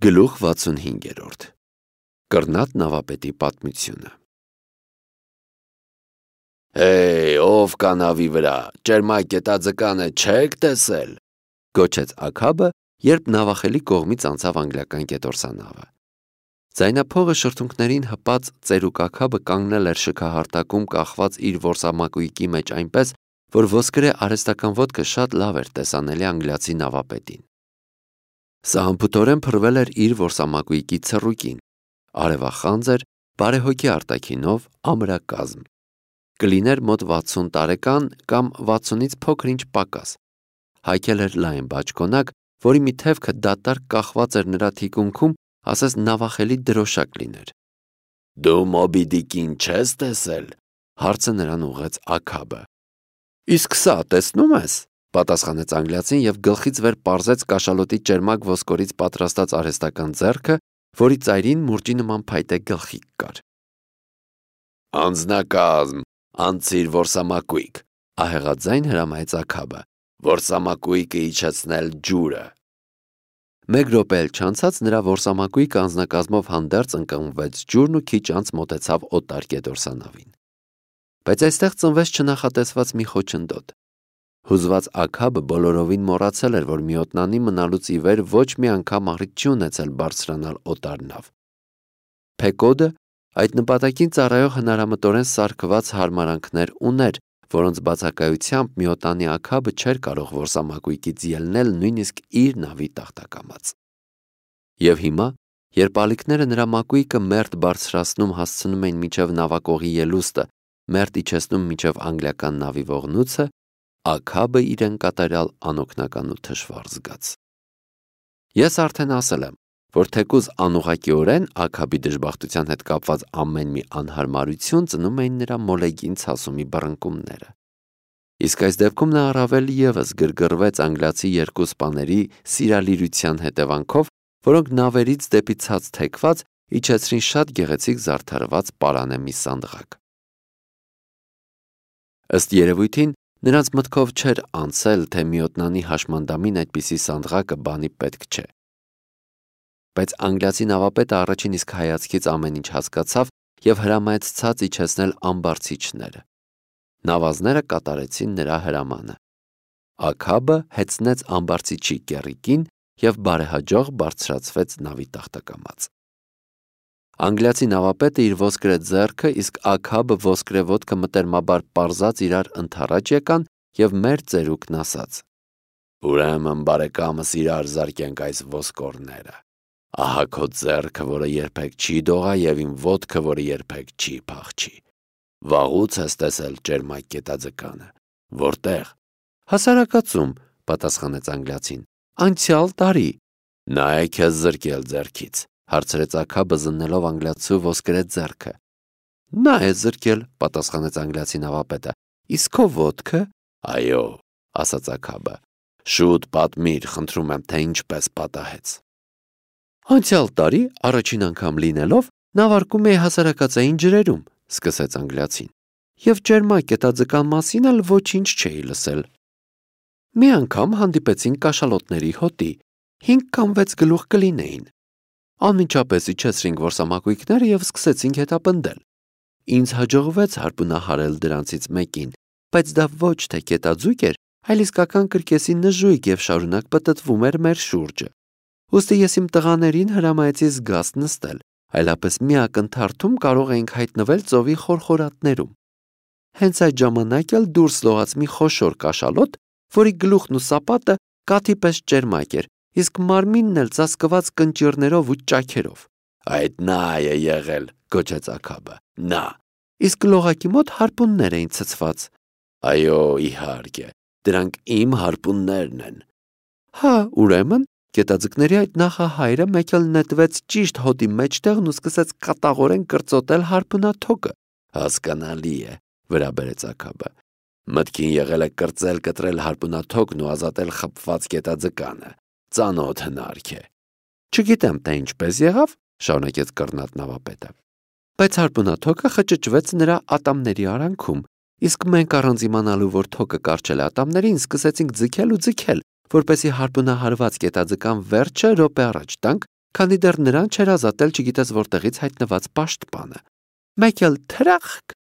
Գլուխ 65 Կռնատ նավապետի պատմությունը ով կա նավի վրա, ճերմակ գետաձկանը չեք տեսել, գոչեց Աքաբը, երբ նավախելի կողմից անցավ անգլիական գետորսանավը։ Ձայնափողը շրթունքներին հպած ծերուկ Աքաբը կանգնել էր շքահարտակում կախված իր որսամակույկի մեջ այնպես, որ ոսկրե արհեստական ոտքը շատ լավ էր տեսանելի անգլիացի նավապետին։ Սա անփութորեն փռվել էր իր որսամակույկի ցռուկին, արևախանձ էր, բարեհոգի արտաքինով, ամրակազմ։ Կլիներ մոտ 60 տարեկան կամ 60-ից փոքր-ինչ պակաս։ Հայքել էր լայն բաճկոնակ, որի մի թևքը դատարկ կախված էր նրա թիկունքում, ասես նավախելի դրոշակ լիներ։ Դու Մոբի Դիկին չես տեսել, հարցը նրան ուղղեց Աքաբը։ Իսկ սա տեսնում ես, պատասխանեց անգլիացին եւ գլխից վեր պարզեց կաշալոտի ճերմակ ոսկորից պատրաստած արհեստական ձեռքը, որի ծայրին մուրճի նման փայտե գլխիկ կար։ Անձնակազմ, անցիր որսամակույկ, ահեղաձայն հրամայեց Աքաբը, որսամակույկը իջեցնել ջուրը։ Մեկ րոպե էլ չանցած նրա որսամակույկը անձնակազմով հանդերձ ընկղմվեց ջուրն ու քիչ անց մոտեցավ օտար գետորսանավին։ Բայց այստեղ ծնվեց չնախատեսված մի խոչընդոտ։ Հուզված Աքաբը բոլորովին մոռացել էր, որ միոտնանի մնալուց ի վեր ոչ մի անգամ առիթ չի ունեցել բարձրանալ օտար նավ։ Փեկոդը այդ նպատակին ծառայող հնարամտորեն սարքված հարմարանքներ ուներ, որոնց բացակայությամբ միոտնանի Աքաբը չէր կարող որսամակույկից ելնել նույնիսկ իր նավի տախտակամած։ Եվ հիմա, երբ ալիքները նրա մակույկը մերթ բարձրացնում հասցնում էին մինչև նավակողի ելուստը, մերթ իջեցնում մինչև անգլիական նավի ողնույցը, Աքաբը իրեն կատարյալ անօգնական ու թշվառ զգաց։ Ես արդեն ասել եմ, որ թեկուզ անուղղակիորեն Աքաբի դժբախտության հետ կապված ամեն մի անհարմարություն ծնում էին նրա մոլեգին ցասումի բռնկումները։ Իսկ այս դեպքում նա առավել ևս գրգռվեց անգլիացի երկու սպաների սիրալիրության հետևանքով, որոնք նավերից դեպի ցած թեքված իջեցրին շատ գեղեցիկ զարդարված պարանե մի սանդղակ։ Ըստ երևույթին նրանց մտքով չէր անցել, թե միոտնանի հաշմանդամին այդպիսի սանդղակը բանի պետք չէ։ Բայց անգլիացի նավապետը առաջին իսկ հայացքից ամեն ինչ հասկացավ եւ հրամայեց ցած իջեցնել ամբարձիչները։ Նավազները կատարեցին նրա հրամանը։ Աքաբը հեծնեց ամբարձիչի կեռիկին եւ բարեհաջող բարձրացվեց նավի տախտակամած։ Անգլիացի նավապետը իր ոսկրե ձեռքը, իսկ Աքաբը ոսկրե ոտքը մտերմաբար պարզած իրար ընդառաջ եկան եւ մեր ծերուկն ասաց. Ուրեմն բարեկամս իրար զարկենք այս ոսկորները։ Ահա քո ձեռքը, որը երբեք չի դողա եւ իմ ոտքը, որը երբեք չի փախչի։ Վաղուց ես տեսել ճերմակ գետաձկանը։ Որտեղ։ Հասարակացում, պատասխանեց անգլիացին։ Անցյալ տարի։ Նա է քեզ զրկել ձեռքից, հարցրեց Աքաբը զննելով անգլիացու ոսկրե ձեռքը։ Նա է զրկել, պատասխանեց անգլիացի նավապետը։ Իսկ քո ոտքը։ Այո, ասաց Աքաբը։ Շուտ պատմիր, խնդրում եմ, թե ինչպես պատահեց։ Անցյալ տարի, առաջին անգամ լինելով, նավարկում էի հասարակածային ջրերում, սկսեց անգլիացին, եւ ճերմակ գետաձկան մասին էլ ոչինչ չէի լսել։ Մի անգամ հանդիպեցին կաշալոտների հոտի, 5 կամ 6 գլուխ կլինեին։ Անմիջապես իջեցրինք որսամակույկները եւ սկսեցինք հետապնդել։ Ինձ հաջողվեց հարպունահարել դրանցից մեկին, բայց դա ոչ թե գետաձուկ էր, այլ իսկական կրկեսի նժույգ եւ շարունակ պտտվում էր մեր շուրջը։ Ուստի ես իմ տղաներին հրամայեցի զգաստ նստել, այլապես մի ակնթարթում կարող էինք հայտնվել ծովի խորխորատներում։ Հենց այդ ժամանակ էլ դուրս լողաց մի խոշոր կաշալոտ, որի գլուխն ու սապատը կաթի պես ճերմակ էր, իսկ մարմինն էլ ծածկված կնճիռներով ու ճաքերով։ Այդ նա է եղել, գոչեց Աքաբը։ Նա։ Իսկ լողակի մոտ հարպուններ էին ցցված։ Այո, իհարկե, դրանք իմ հարպուններն են։ Հա, ուրեմն, գետաձկների այդ նախահայրը մեկ էլ նետվեց ճիշտ հոտի մեջտեղն ու սկսեց կատաղորեն կրծոտել հարպունաթոկը։ Հասկանալի է, վրա բերեց Աքաբը։ Մտքին եղել է կրծել կտրել հարպունաթոկն ու ազատել խփված գետաձկանը։ Ծանոթ հնարք է։ Չգիտեմ, թե ինչպես եղավ, շարունակեց կռնատ նավապետը։ Բայց հարպունաթոկը խճճվեց նրա ատամների արանքում, իսկ մենք առանց իմանալու, որ թոկը կարճել է ատամներին, սկսեցինք ձգել ու ձգել, որպեսզի հարպունահարված գետաձկան վերջը րոպե առաջ տանք, քանի դեռ նրան չէր ազատել չգիտես որտեղից հայտնված պաշտպանը։ Մեկ էլ թրախկ,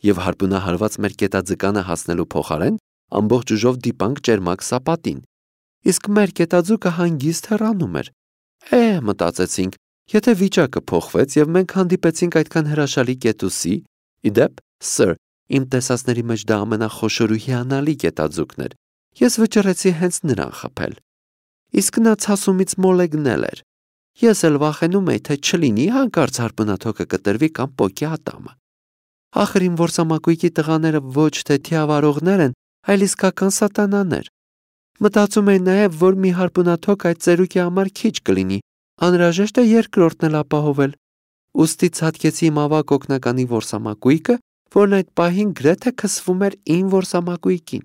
եւ հարբունահարված մեր կետաձկանը հասնելու փոխարեն ամբողջ ուժով դիպանք ճերմակ սապատին։ Իսկ մեր կետաձուկը հանգիստ հեռանում էր։ Մտածեցինք, եթե վիճակը փոխվեց եւ մենք հանդիպեցինք այդքան հրաշալի կետուսի, իդեպ, սըր, իմ տեսածների մեջ դա ամենախոշոր ու հիանալի կետաձուկն էր, ես վճռեցի հենց նրան խփել։ Իսկ նա ցասումից մոլեգնել էր։ Ես էլ վախենում էի, թե չլինի հանկարծ հարբունաթոքը կտրվի կամ պոկի ատամը։ Ախր իմ որսամակույկի տղաները ոչ թե թիավարողներ են, այլ իսկական սատանաներ։ Մտածում էի նաև, որ մի հարբունաթոք այդ ծերուկի համար քիչ կլինի, անհրաժեշտ է երկրորդն էլ ապահովել։ Ուստի ցատկեցի իմ ավագ օգնականի որսամակույկը, որն այդ պահին գրեթե քսվում էր իմ որսամակույկին։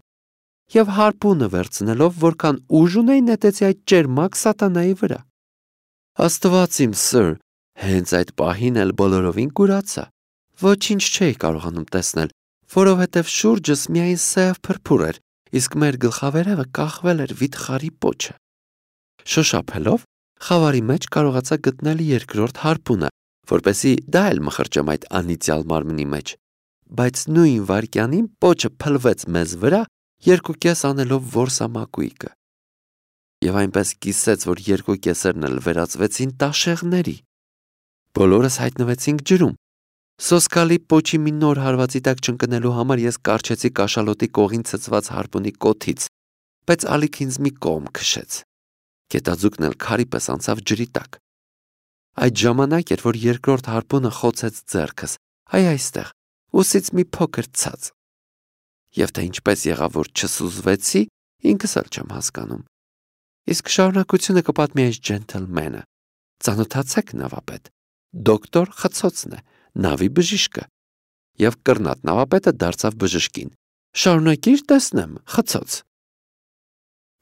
Եվ հարբունը վերցնելով, որքան ուժ ունեի, նետեցի այդ ճերմակ սատանայի վրա։ Աստված իմ սըր, հենց այդ պահին էլ բոլորովին կուրացա։ Ոչինչ չէի կարողանում տեսնել, որովհետև շուրջս միայն սև փրփուր էր, իսկ մեր գլխավերևը կախվել էր վիթխարի պոչը։ Շոշափելով, խավարի մեջ կարողացա գտնել երկրորդ հարբունը, որպեսզի դա էլ մխրճեմ այդ անիծյալ մարմնի մեջ։ Բայց նույն վայրկյանին պոչը փլվեց մեզ վրա, 2.5 անելով որսամակույկը։ Եվ այնպես կիսեց, որ 2 կեսերն էլ վերածվեցին տաշեղների։ Բոլորս հայտնվեցինք ջրում։ Սոսկալի պոչի մի նոր հարվածի տակ չընկնելու համար ես կառչեցի կաշալոտի կողին ցցված հարբունի կոթից, բայց ալիք ինձ մի կողմ քշեց։ Կետաձուկն էլ քարի պես անցավ ջրի տակ։ Այդ ժամանակ էր, որ երկրորդ հարբունը խոցեց ձեռքս, այստեղ, ուսից մի փոքր ցած։ Եվ թե ինչպես եղավ, որ չսուզվեցի, ինքս էլ չեմ հասկանում։ Իսկ շարունակությունը կպատմի այս ջենթլմենը։ Ծանոթացեք նավապետ, դոկտոր Խցոցն է, նավի բժիշկը։ Եվ կռնատ նավապետը դարձավ բժշկին։ Շարունակիր տեսնեմ, Խցոց։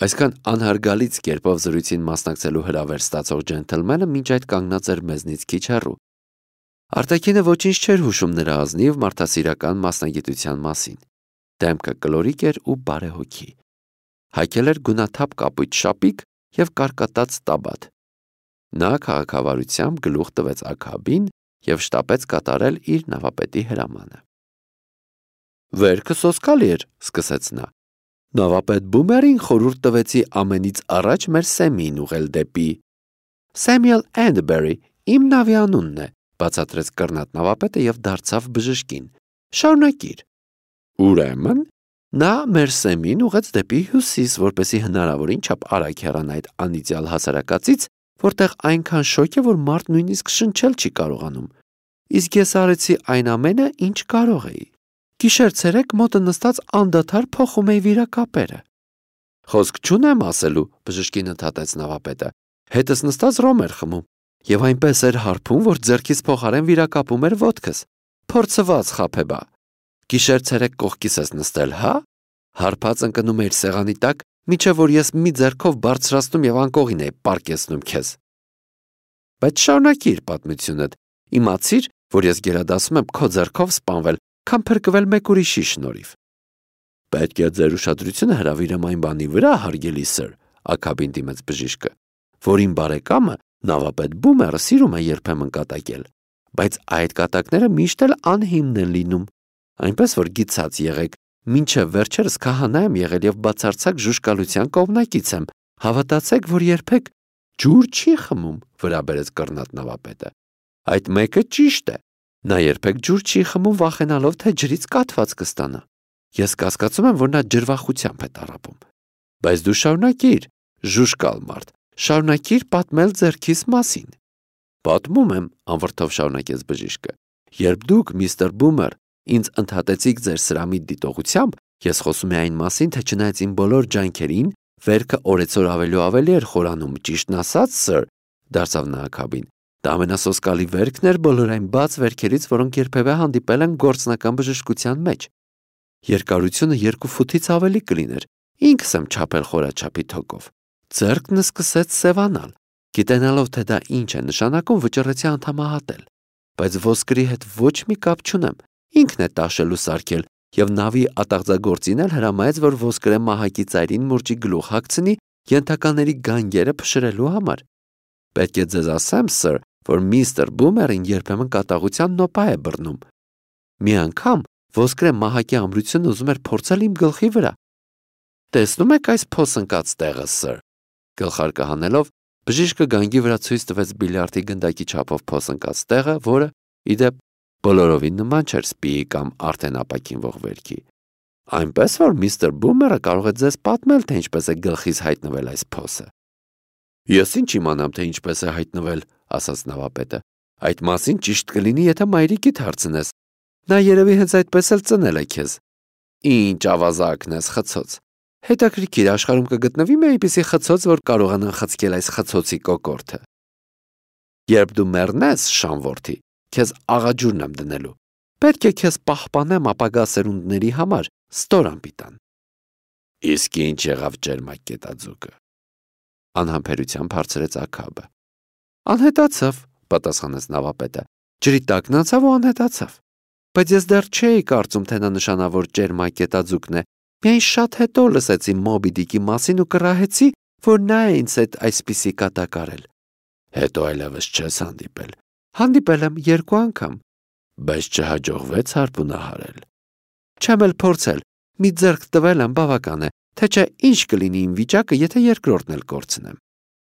Այսքան անհարգալից կերպով զրույցին մասնակցելու հրավեր ստացող ջենթլմենը մինչ այդ կանգնած էր մեզնից քիչ հեռու։ Արտաքինը ոչինչ չէր հուշում նրա ազնիվ մարդասիրական մասնագիտության մասին։ Դեմքը կլորիկ էր ու բարեհոգի։ Հագել էր գունաթափ կապույտ շապիկ և կարկատած տաբատ։ Նա քաղաքավարությամբ գլուխ տվեց աքաբին և շտապեց կատարել իր նավապետի հրամանը։ Վերքը սոսկալի էր, սկսեց նա։ Նավապետ Բումերին խորհուրդ տվեցի ամենից առաջ մեր Սեմին ուղղել դեպի։ Սեմյուել Էնդբերի, իմ նավի անունն է, բացատրեց կռնատ նավապետը և դարձավ բժշկին։ Շարունակիր։ Ուրեմն, նա մեր Սեմին ուղղեց դեպի հյուսիս, որպեսզի հնարավորին չափ արագ հեռանա այդ անիծյալ հասարակածից, որտեղ այնքան շոգ է, որ մարդ նույնիսկ շնչել չի կարողանում։ Իսկ ես արեցի այն ամենը, ինչ կարող էի։ Գիշեր-ցերեկ մոտը նստած անդադար փոխում էի վիրակապերը։ Խոսք չունեմ ասելու, բժշկին ընդհատեց նավապետը։ Հետս նստած ռոմ էր խմում, եւ այնպես էր հարբում, որ ձեռքից փոխարեն վիրակապում էր ոտքս։ Փորձված խաբեբա։ Գիշեր-ցերեկ կողքիս ես նստել, հա։ Հարբած ընկնում էիր սեղանի տակ, միջև որ ես մի ձեռքով բարձրացնում եւ անկողին էի պարկեցնում քեզ։ Բայց շարունակիր պատմությունդ։ Իմացիր, որ ես գերադասում եմ քո ձեռքով սպանվել, քան փրկվել մեկ ուրիշի շնորհիվ։ Պետք է ձեր ուշադրությունը հրավիրեմ այն բանի վրա, հարգելի սըր, աքաբին դիմեց բժիշկը, որ իմ բարեկամը նավապետ Բումերը սիրում է երբեմն կատակել, բայց այդ կատակները միշտ էլ անհիմն են լինում, այնպես որ գիծած եղեք, մինչև վերջերս քահանա եմ եղել եւ բացարձակ ժուժկալության կողմնակից եմ, հավատացեք, որ երբեք ջուր չի խմում, վրա բերեց կռնատ նավապետը։ Այդ մեկը ճիշտ է, նա երբեք ջուր չի խմում վախենալով, թե ջրից կաթված կստանա։ Ես կասկածում եմ, որ նա ջրվախությամբ է տառապում։ Բայց դու շարունակիր, ժուժկալ մարդ, շարունակիր պատմել ձեռքիս մասին։ Պատմում եմ, անվրդով շարունակեց բժիշկը։ Երբ դուք, միստր Բումեր, ինձ ընդհատեցիք ձեր սրամիտ դիտողությամբ, ես խոսում եմ այն մասին, թե չնայած իմ բոլոր ջանքերին, վերքը օրեցօր ավելի ու ավելի էր խորանում, ճիշտն ասած, սըր, դարձավ նա աքաբին։ Դա ամենասոսկալի վերքն էր բոլոր այն բաց վերքերից, որոնք երբևէ հանդիպել են գործնական բժշկության մեջ։ Երկարությունը 2 ֆուտից ավելի կլիներ, ինքս եմ չափել խորաչափի թոկով։ Ձեռքն սկսեց սևանալ, գիտենալով, թե դա ինչ է նշանակում, վճռեցի անդամահատել, բայց ոսկրի հետ ոչ մի կապ չունեմ, ինքն է տաշել ու սարքել, եւ նավի ատաղձագործին էլ հրամայեց, որ ոսկրե մահակի ծայրին մուրճի գլուխ հագցնի ենթակաների գանգերը փշրելու համար։ Պետք է ձեզ ասեմ, սր, որ միստր Բումերին երբեմն կատաղության նոպա է բռնում։ Մի անգամ ոսկրե մահակի ամրությունը ուզում էր փորձել իմ գլխի վրա։ Տեսնում եք այս փոսընկած տեղը, սր։ Գլխարկը հանելով, բժիշկը գանգի վրա ցույց տվեց բիլիարդի գնդակի չափով փոսընկած տեղը, որը, ի դեպ, բոլորովին նման չէր սպիի կամ արդեն ապակինվող վերքի։ Այնպես որ միստր Բումերը կարող է ձեզ պատմել, թե ինչպես է գլխից հայտնվել այս փոսը։ Ես ինչ իմանամ, թե ինչպես է հայտնվել, ասաց նավապետը։ Այդ մասին ճիշտ կլինի, եթե մայրիկիդ հարցնես։ Նա երևի հենց այդպես էլ ծնել է քեզ։ Ինչ ավազակն ես, խցոց։ Հետաքրքիր, աշխարհում կգտնվի մի այնպիսի խցոց, որ կարողանա խցկել այս խցոցի կոկորդը։ Երբ դու մեռնես, շանվորթի, քեզ աղաջուրն եմ դնելու։ Պետք է քեզ պահպանեմ ապագա սերունդների համար, ստոր անպիտան։ Իսկ ինչ եղավ ջերմակ կետաձուկը։ Անհամբերությամբ հարցրեց Աքաբը։ Անհետացավ, պատասխանեց նավապետը։ Ջրի տակն անցավ ու անհետացավ։ Բայց ես դեռ չէի կարծում, թե նա նշանավոր ջերմակ կետաձուկն է։ Միայն շատ հետո լսեցի Մոբի Դիկի մասին ու կռահեցի, որ նա է ինձ հետ այսպիսի կատակարել։ Հետո այլևս չես հանդիպել։ Հանդիպել եմ 2 անգամ, բայց չհաջողվեց հարբունահարել։ Չեմ էլ փորձել, մի ձեռք տվել եմ բավական է, թե չէ ինչ կլինի իմ վիճակը, եթե երկրորդն էլ կորցնեմ։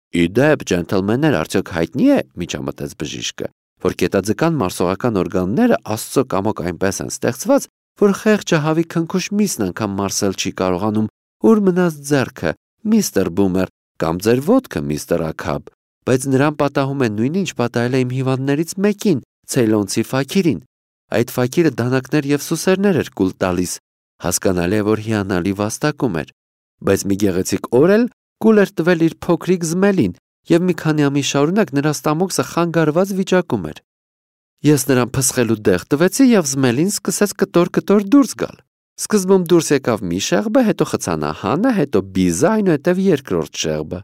Ի դեպ, ջենթլմեններ, արդյոք հայտնի է, միջամտեց բժիշկը, որ կետաձկան մարսողական օրգանները Աստծո կամոք այնպես են ստեղծված, որ խեղճը հավի քնքուշ միսն անգամ մարսել չի կարողանում, ուր մնաց ձեռքը, միստր Բումեր, կամ ձեր ոտքը, միստր Աքաբ, բայց նրան պատահում է նույնը, ինչ պատահել է իմ հիվանդներից մեկին, Ցեյլոնցի Ֆաքիրին։ Այդ Ֆաքիրը դանակներ եւ սուսերներ էր կուլ տալիս, հասկանալի է, որ հիանալի վաստակում էր, բայց մի գեղեցիկ օր էլ կուլ էր տվել իր փոքրիկ Զմելին եւ մի քանի ամիս շարունակ նրա ստամոքսը խանգարված վիճակում էր։ Ես նրան փսխելու դեղ տվեցի եւ Զմելին սկսեց կտոր-կտոր դուրս գալ։ Սկզբում դուրս եկավ մի շեղբը, հետո խցանահանը, հետո բիզը, այնուհետև երկրորդ շեղբը։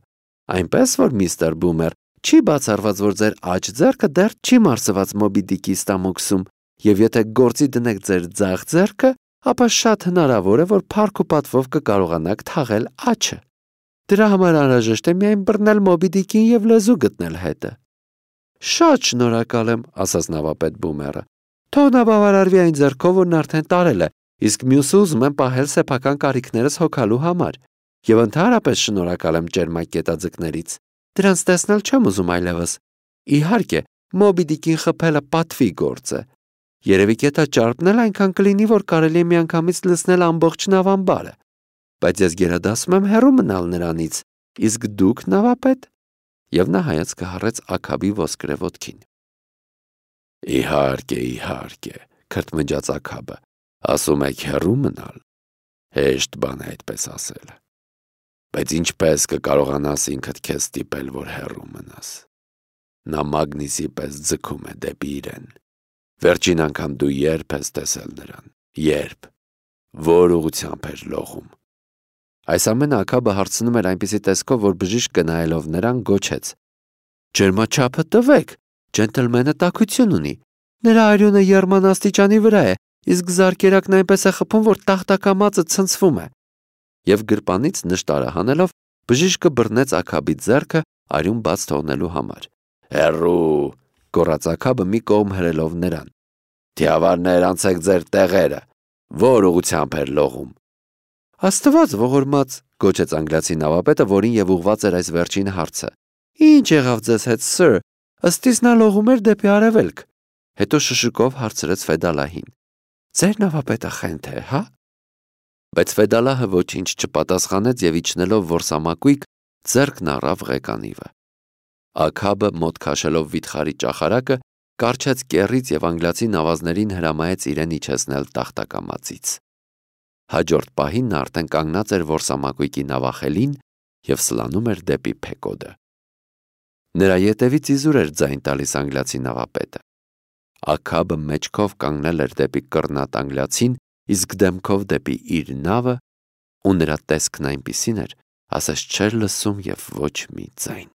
Այնպես որ միստր Բումեր, չի բացառված, որ ձեր աջ ձեռքը դեռ չի մարսված Մոբի Դիկի ստամոքսում, եւ եթե գործի դնեք ձեր ձախ ձեռքը, ապա շատ հնարավոր է, որ փառք ու պատվով կկարողանաք թաղել աջը։ Դրա համար անհրաժեշտ է միայն բռնել Մոբի Դիկին եւ լեզու գտնել հետը։ Շատ շնորհակալ եմ, ասաց նավապետ Բումերը։ Թող նա բավարարվի այն ձեռքով, որն արդեն տարել է, իսկ մյուսը ուզում եմ պահել սեփական կարիքներս հոգալու համար։ Եվ ընդհանրապես շնորհակալ եմ ջերմակ կետաձկներից։ Դրանց տեսնել չեմ ուզում այլևս։ Իհարկե, Մոբի Դիկին խփելը պատվի գործ է։ Երևի կետաճարպն էլ այնքան կլինի, որ կարելի է միանգամից լցնել ամբողջ նավամբարը։ Բայց ես գերադասում եմ հեռու մնալ նրանից, իսկ դուք, նավապետ, եւ նա հայացքը հառեց Աքաբի ոսկրե ոտքին։ Իհարկե, քրթմնջաց Աքաբը, ասում եք հեռու մնալ։ Հեշտ բան է այդպես ասելը։ Բայց ինչպես կկարողանաս ինքդ քեզ ստիպել, որ հեռու մնաս։ Նա մագնիսի պես ձգում է դեպի իրեն։ Վերջին անգամ դու երբ ես տեսել նրան։ Երբ։ Որ ուղղությամբ էր լողում։ Այս ամենը Աքաբը հարցնում էր այնպիսի տեսքով, որ բժիշկը նայելով նրան գոչեց. Ջերմաչափը տվեք, ջենթլմենը տաքություն ունի։ Նրա արյունը եռմանաստիճանի վրա է, իսկ զարկերակն այնպես է խփում, որ տախտակամածը ցնցվում է։ Եվ գրպանից նշտարը հանելով, բժիշկը բռնեց Աքաբի ձեռքը արյուն բաց թողնելու համար։ Հեռու, գոռաց Աքաբը մի կողմ հրելով նրան։ Թիավարներ, անցեք ձեր տեղերը։ Որ ուղղությամբ էր լողում։ Աստված ողորմած, գոչեց անգլիացի նավապետը, որին եւ ուղված էր այս վերջին հարցը։ Ինչ եղավ ձեզ հետ, սir։ Ըստ իս նա լողում էր դեպի արևելք։ Հետո շշուկով հարցրեց Ֆեդալահին։ Ձեր նավապետը խենթ է, հա։ Բայց Ֆեդալահը ոչինչ չպատասխանեց եւ իջնելով որսամակույկ ձեռքն առավ ղեկանիվը։ Աքաբը մոտ քաշելով վիթխարի ճախարակը կարճեց կեռից եւ անգլիացի նավազներին հրամայեց իրեն իջեցնել տախտակամածից։ Հաջորդ պահին նա արդեն կանգնած էր որսամակույկի նավախելին եւ սլանում էր դեպի Փեկոդը։ Նրա ետևից իզուր էր ձայն տալիս անգլիացի նավապետը։ Աքաբը մեջքով կանգնել էր դեպի կռնատ անգլիացին, իսկ դեմքով դեպի իր նավը, ու նրա տեսքն այնպիսին էր, ասես չէր լսում եւ ոչ մի ձայն։